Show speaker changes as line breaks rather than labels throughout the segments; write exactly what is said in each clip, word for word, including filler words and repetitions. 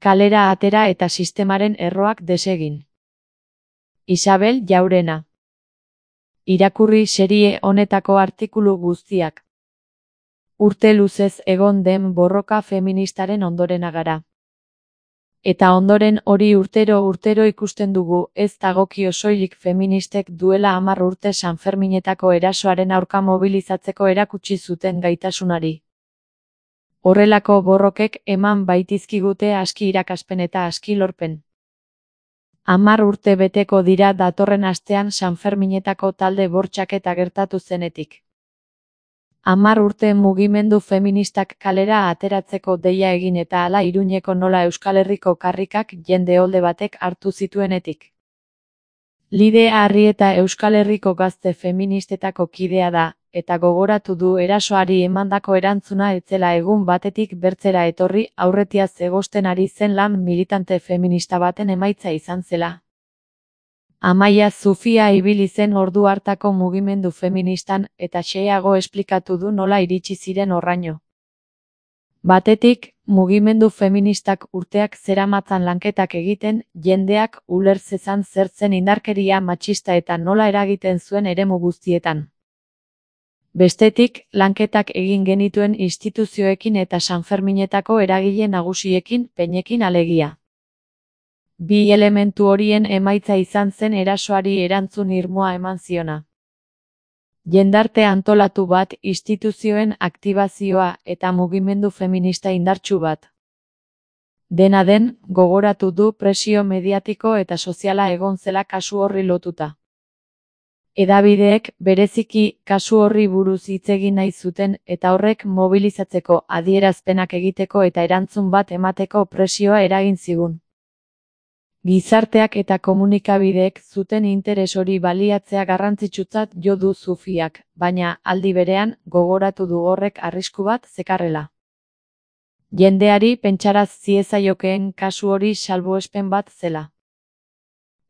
kalera atera eta sistemaren erroak desegin. Isabel Jaurena. Irakurri serie honetako artikulu guztiak. Urte luzez egon den borroka feministaren ondorena gara. Eta ondoren hori urtero urtero ikusten dugu, ez dagokio soilik feministek duela hamar urte Sanferminetako erasoaren aurka mobilizatzeko erakutsi zuten gaitasunari. Horrelako borrokek eman baitizkigute aski irakaspen eta aski lorpen. Hamar urte beteko dira datorren astean Sanferminetako talde bortxaketa gertatu zenetik. Hamar urte mugimendu feministak kalera ateratzeko deia egin eta hala Iruñeko nola Euskal Herriko karrikak jende olde batek hartu zituenetik. Lidea Arrieta Euskal Herriko gazte feministetako kidea da, eta gogoratu du erasoari emandako erantzuna etzela egun batetik bertzera etorri aurretiaz egosten ari zen lan militante feminista baten emaitza izan zela. Amaia Zufia ibili zen ordu hartako mugimendu feministan eta xeago esplikatu du nola iritsi ziren horraino. Batetik, mugimendu feministak urteak zeramatzan lanketak egiten, jendeak uler zezan zer zen indarkeria matxista eta nola eragiten zuen eremu guztietan. Bestetik, lanketak egin genituen instituzioekin eta Sanferminetako eragile nagusiekin, peinekin alegia. Bi elementu horien emaitza izan zen erasoari erantzun irmoa eman ziona. Jendarte antolatu bat, instituzioen aktibazioa eta mugimendu feminista indartsu bat. Dena den, gogoratu du presio mediatiko eta soziala egon zela kasu horri lotuta. Hedabideek bereziki kasu horri buruz hitz egin nahi zuten eta horrek mobilizatzeko adierazpenak egiteko eta erantzun bat emateko presioa eragin zigun. Gizarteak eta komunikabideek zuten interes hori baliatzea garrantzitsutzat jo du Zufiak, baina aldi berean gogoratu du horrek arrisku bat zekarrela. Jendeari pentsaraz ziezaiokeen kasu hori salbuespen bat zela.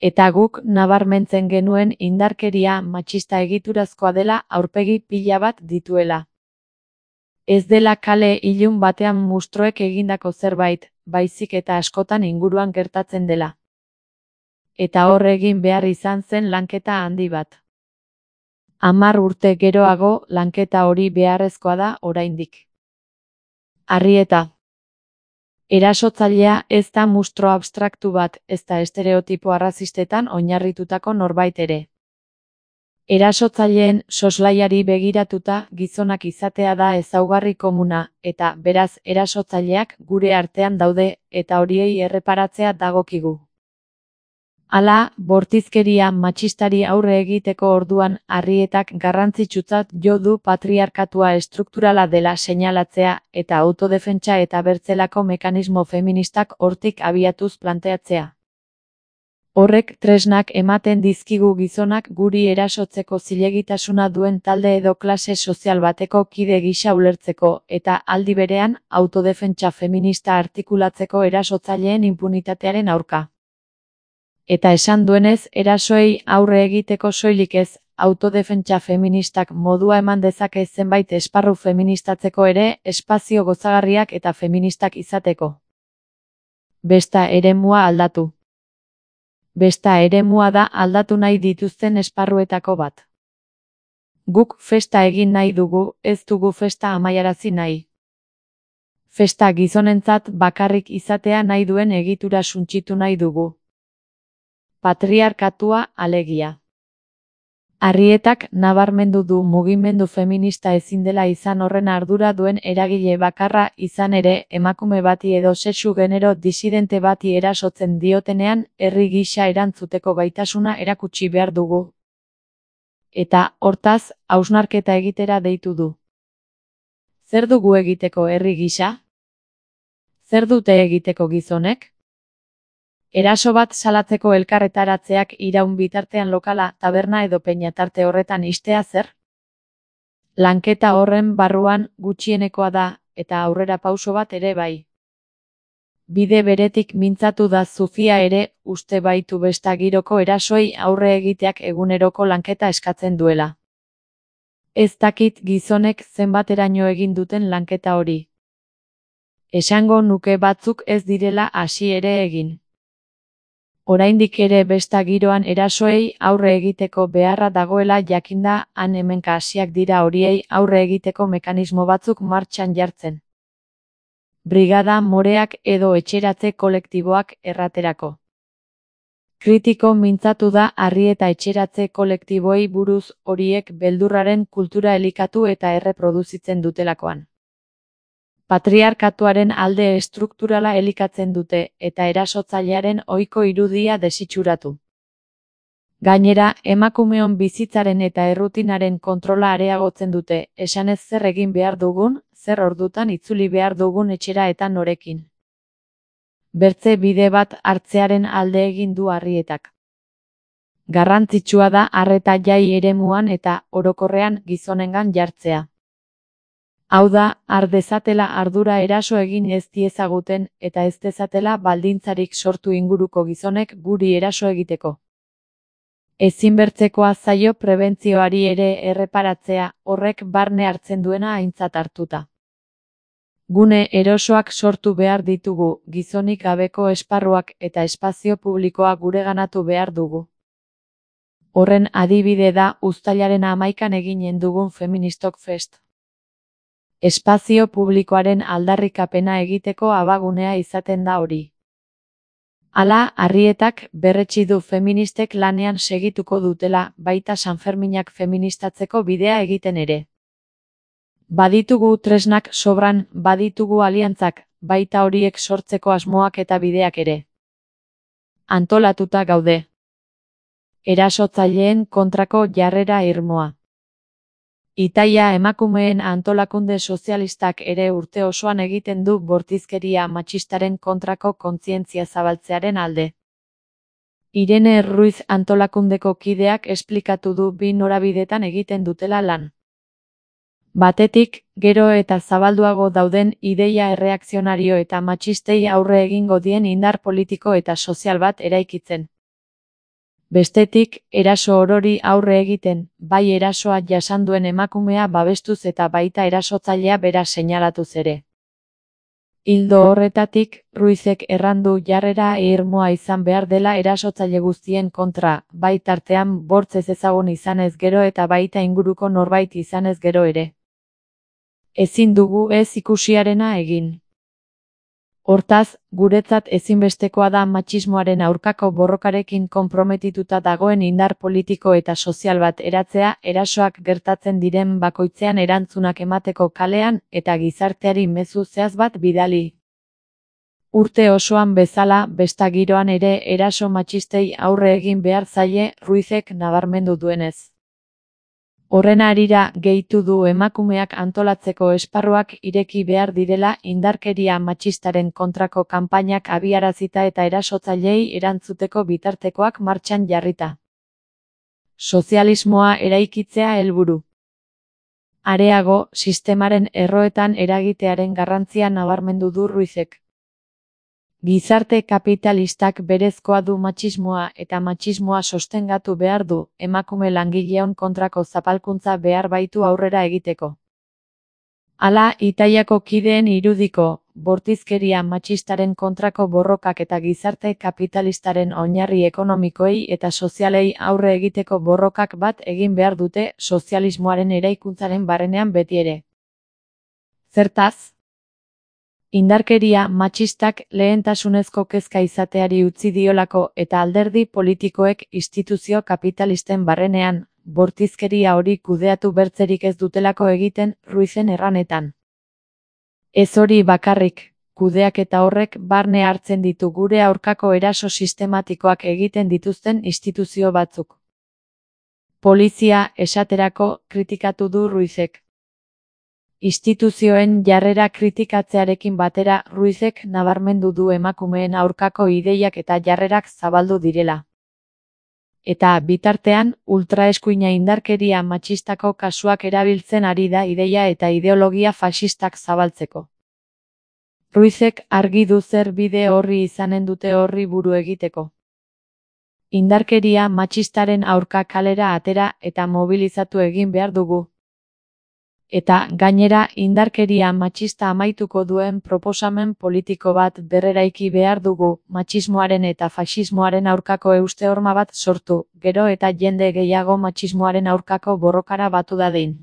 Eta guk nabarmentzen genuen indarkeria matxista egiturazkoa dela aurpegi pila bat dituela. Ez dela kale ilun batean mustroek egindako zerbait, baizik eta askotan inguruan gertatzen dela. Eta hor egin behar izan zen lanketa handi bat. Hamar urte geroago lanketa hori beharrezkoa da oraindik. Arrieta. Erasotzailea ez da mustro abstraktu bat, ez da estereotipo arrazistetan oinarritutako norbait ere. Erasotzaileen soslaiari begiratuta gizonak izatea da ezaugarri komuna, eta beraz erasotzaileak gure artean daude, eta horiei erreparatzea dagokigu. Hala, bortizkeria matxistari aurre egiteko orduan Arrietak garrantzitsutzat jo du patriarkatua estrukturala dela seinalatzea eta autodefentsa eta bertzelako mekanismo feministak hortik abiatuz planteatzea. Horrek tresnak ematen dizkigu gizonak guri erasotzeko zilegitasuna duen talde edo klase sozial bateko kide gisa ulertzeko eta aldi berean autodefentsa feminista artikulatzeko erasotzaileen inpunitatearen aurka. Eta esan duenez, erasoei aurre egiteko soilik ez, autodefentsa feministak modua eman dezake zenbait esparru feministatzeko ere, espazio gozagarriak eta feministak izateko. Besta eremua aldatu. Besta eremua da aldatu nahi dituzten esparruetako bat. Guk festa egin nahi dugu, ez dugu festa amaiarazi nahi. Festa gizonentzat bakarrik izatea nahi duen egitura suntsitu nahi dugu. Patriarkatua alegia. Arrietak nabarmendu du mugimendu feminista ezin dela izan horren ardura duen eragile bakarra izan ere emakume bati edo sexu genero disidente bati erasotzen diotenean herri gisa erantzuteko gaitasuna erakutsi behar dugu. Eta, hortaz, hausnarketa egitera deitu du. Zer dugu egiteko herri gisa? Zer dute egiteko gizonek? Eraso bat salatzeko elkarretaratzeak iraun bitartean lokala, taberna edo peinatarte horretan istea zer? Lanketa horren barruan gutxienekoa da, eta aurrera pauso bat ere bai. Bide beretik mintzatu da Zufia ere, uste baitu besta giroko erasoei aurre egiteak eguneroko lanketa eskatzen duela. Ez dakit gizonek zenbateraino egin duten lanketa hori. Esango nuke batzuk ez direla hasi ere egin. Oraindik ere besta giroan erasoei aurre egiteko beharra dagoela jakinda han hemenka hasiak dira horiei aurre egiteko mekanismo batzuk martxan jartzen. Brigada moreak edo etxeratze kolektiboak erraterako. Kritiko mintzatu da harri eta etxeratze kolektiboei buruz horiek beldurraren kultura elikatu eta erreproduzitzen dutelakoan. Patriarkatuaren alde estrukturala elikatzen dute eta erasotzailearen ohiko irudia desitxuratu. Gainera, emakumeon bizitzaren eta errutinaren kontrola areagotzen dute, esanez zer egin behar dugun, zer ordutan itzuli behar dugun etxera eta norekin. Bertze bide bat hartzearen alde egin du harrietak. Garrantzitsua da arreta jai eremuan eta, orokorrean, gizonengan jartzea. Hau da, har dezatela ardura eraso egin ez diezaguten eta ez dezatela baldintzarik sortu inguruko gizonek guri eraso egiteko. Ezinbertzekoa zaio prebentzioari ere erreparatzea, horrek barne hartzen duena aintzat hartuta. Gune erosoak sortu behar ditugu, gizonik gabeko esparruak eta espazio publikoa gureganatu behar dugu. Horren adibide da uztailaren hamaikan eginen dugun Feministok Fest. Espazio publikoaren aldarrikapena egiteko abagunea izaten da hori. Hala, harrietak berretsi du feministek lanean segituko dutela, baita Sanferminak feministatzeko bidea egiten ere. Baditugu tresnak sobran, baditugu aliantzak, baita horiek sortzeko asmoak eta bideak ere. Antolatuta gaude. Erasotzaileen kontrako jarrera irmoa. Itaia emakumeen antolakunde sozialistak ere urte osoan egiten du bortizkeria matxistaren kontrako kontzientzia zabaltzearen alde. Irene Ruiz antolakundeko kideak esplikatu du bi norabidetan egiten dutela lan. Batetik, gero eta zabalduago dauden ideia erreakzionario eta matxistei aurre egingo dien indar politiko eta sozial bat eraikitzen. Bestetik, eraso orori aurre egiten, bai erasoa jasan duen emakumea babestuz eta baita erasotzailea bera seinalatuz ere. Ildo horretatik, Ruizek errandu jarrera irmoa izan behar dela erasotzaile guztien kontra, bai tartean bortz ez ezagun izanez gero eta baita inguruko norbait izanez gero ere. Ezin dugu ez ikusiarena egin. Hortaz, guretzat ezinbestekoa da matxismoaren aurkako borrokarekin konprometituta dagoen indar politiko eta sozial bat eratzea erasoak gertatzen diren bakoitzean erantzunak emateko kalean eta gizarteari mezu zehatz bat bidali. Urte osoan bezala, besta giroan ere eraso matxistei aurre egin behar zaie Ruizek nabarmendu duenez. Horren harira gehitu du emakumeak antolatzeko esparruak ireki behar direla indarkeria matxistaren kontrako kanpainak abiarazita eta erasotzailei erantzuteko bitartekoak martxan jarrita. Sozialismoa eraikitzea helburu. Areago, sistemaren erroetan eragitearen garrantzia nabarmendu du Ruizek. Gizarte kapitalistak berezkoa du matxismoa eta matxismoa sostengatu behar du, emakume langileon kontrako zapalkuntza behar baitu aurrera egiteko. Hala, Itaiako kideen irudiko, bortizkeria matxistaren kontrako borrokak eta gizarte kapitalistaren oinarri ekonomikoei eta sozialei aurre egiteko borrokak bat egin behar dute sozialismoaren eraikuntzaren barrenean betiere. Zertaz? Indarkeria matxistak lehentasunezko kezka izateari utzi diolako eta alderdi politikoek instituzio kapitalisten barrenean, bortizkeria hori kudeatu bertzerik ez dutelako egiten Ruizen erranetan. Ez hori bakarrik, kudeaketa horrek barne hartzen ditu gure aurkako eraso sistematikoak egiten dituzten instituzio batzuk. Polizia, esaterako, kritikatu du Ruizek. Instituzioen jarrera kritikatzearekin batera Ruizek nabarmendu du emakumeen aurkako ideiak eta jarrerak zabaldu direla. Eta, bitartean, ultraeskuina indarkeria matxistako kasuak erabiltzen ari da ideia eta ideologia faxistak zabaltzeko. Ruizek argi du zer bide horri izanen dute horri buru egiteko. Indarkeria matxistaren aurka kalera atera eta mobilizatu egin behar dugu. Eta, gainera, indarkeria matxista amaituko duen proposamen politiko bat berreraiki behar dugu, matxismoaren eta faxismoaren aurkako euste horma bat sortu, gero eta jende gehiago matxismoaren aurkako borrokara batu dadin.